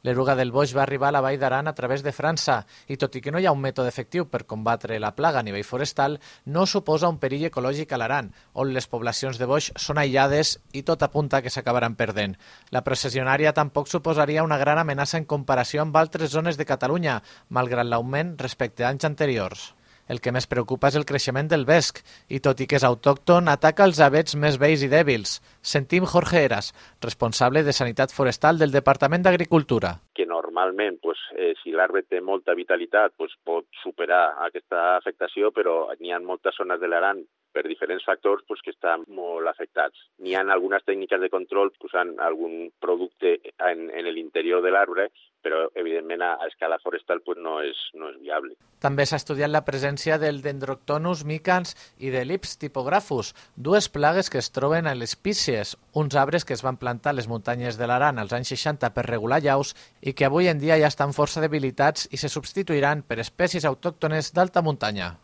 L'eruga del boix va arribar a la Vall d'Aran a través de França i, tot i que no hi ha un mètode efectiu per combatre la plaga a nivell forestal, no suposa un perill ecològic a l'Aran, on les poblacions de boix són aïllades i tot apunta que s'acabaran perdent. La processionària tampoc suposaria una gran amenaça en comparació amb altres zones de Catalunya, malgrat l'augment respecte a anys anteriors. El que més preocupa és el creixement del vesc i, tot i que és autòcton, ataca els avets més vells i dèbils. Sentim Jorge Heras, responsable de Sanitat Forestal del Departament d'Agricultura. Que normalment, si l'arbre té molta vitalitat, pot superar aquesta afectació, però n'hi ha moltes zones de l'Aran per diferents factors que estan molt afectats. N'hi ha algunes tècniques de control usant algun producte en l'interior de l'arbre, però evidentment a escala forestal no és viable. També s'ha estudiat la presència del Dendroctonus micans i de l'Ips typographus, dues plagues que es troben a les pícies, uns arbres que es van plantar a les muntanyes de l'Aran als anys 60 per regular llaus i que avui en dia ja estan força debilitats i se substituiran per espècies autòctones d'alta muntanya.